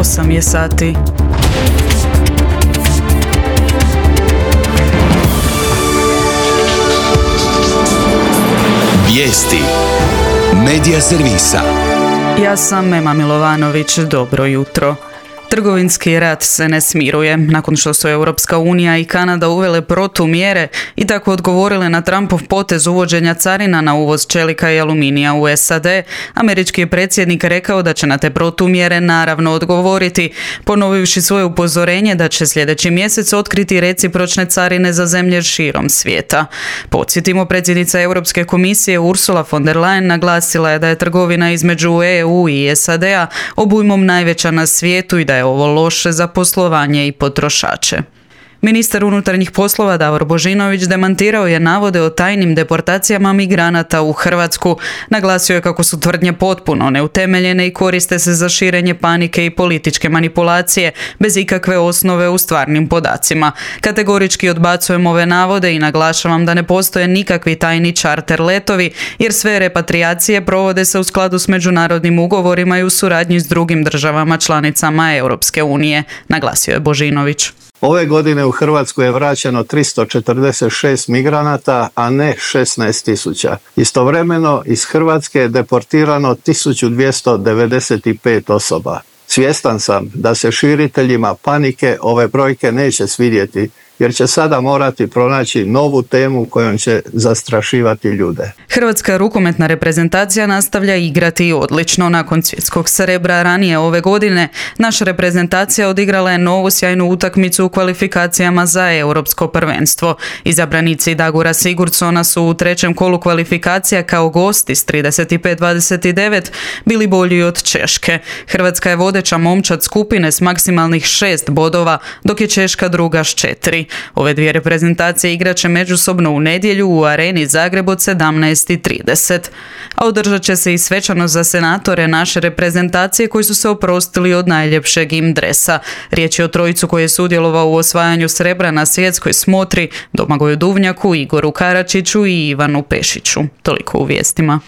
8 je sati. Vijesti Medija servisa. Ja sam Ema Milovanović, dobro jutro. Trgovinski rat se ne smiruje nakon što su Europska unija i Kanada uvele protumjere i tako odgovorile na Trumpov potez uvođenja carina na uvoz čelika i aluminija u SAD. Američki je predsjednik rekao da će na te protumjere naravno odgovoriti, ponovivši svoje upozorenje da će sljedeći mjesec otkriti recipročne carine za zemlje širom svijeta. Podsjetimo, predsjednica Europske komisije Ursula von der Leyen naglasila je da je trgovina između EU i SAD-a obujmom najveća na svijetu i da je ovo loše za poslovanje i potrošače. Ministar unutarnjih poslova Davor Božinović demantirao je navode o tajnim deportacijama migranata u Hrvatsku. Naglasio je kako su tvrdnje potpuno neutemeljene i koriste se za širenje panike i političke manipulacije bez ikakve osnove u stvarnim podacima. Kategorički odbacujem ove navode i naglašavam da ne postoje nikakvi tajni čarter letovi, jer sve repatriacije provode se u skladu s međunarodnim ugovorima i u suradnji s drugim državama članicama Europske unije, naglasio je Božinović. Ove godine u Hrvatsku je vraćeno 346 migranata, a ne 16.000. Istovremeno iz Hrvatske je deportirano 1295 osoba. Svjestan sam da se širiteljima panike ove brojke neće svidjeti, jer će sada morati pronaći novu temu kojom će zastrašivati ljude. Hrvatska rukometna reprezentacija nastavlja igrati odlično. Nakon svjetskog srebra ranije ove godine, naša reprezentacija odigrala je novu sjajnu utakmicu u kvalifikacijama za europsko prvenstvo. Izabranici Dagora Sigurdsona su u trećem kolu kvalifikacija kao gosti s 35-29 bili bolji od Češke. Hrvatska je vodeća momčad skupine s maksimalnih 6 bodova, dok je Češka druga s 4. Ove dvije reprezentacije igraće međusobno u nedjelju u Areni Zagreb od 17:30. A održat će se i svečanost za senatore naše reprezentacije koji su se oprostili od najljepšeg im dresa. Riječ je o trojicu koji je sudjelovao u osvajanju srebra na svjetskoj smotri, Domagoju Duvnjaku, Igoru Karačiću i Ivanu Pešiću. Toliko u vijestima.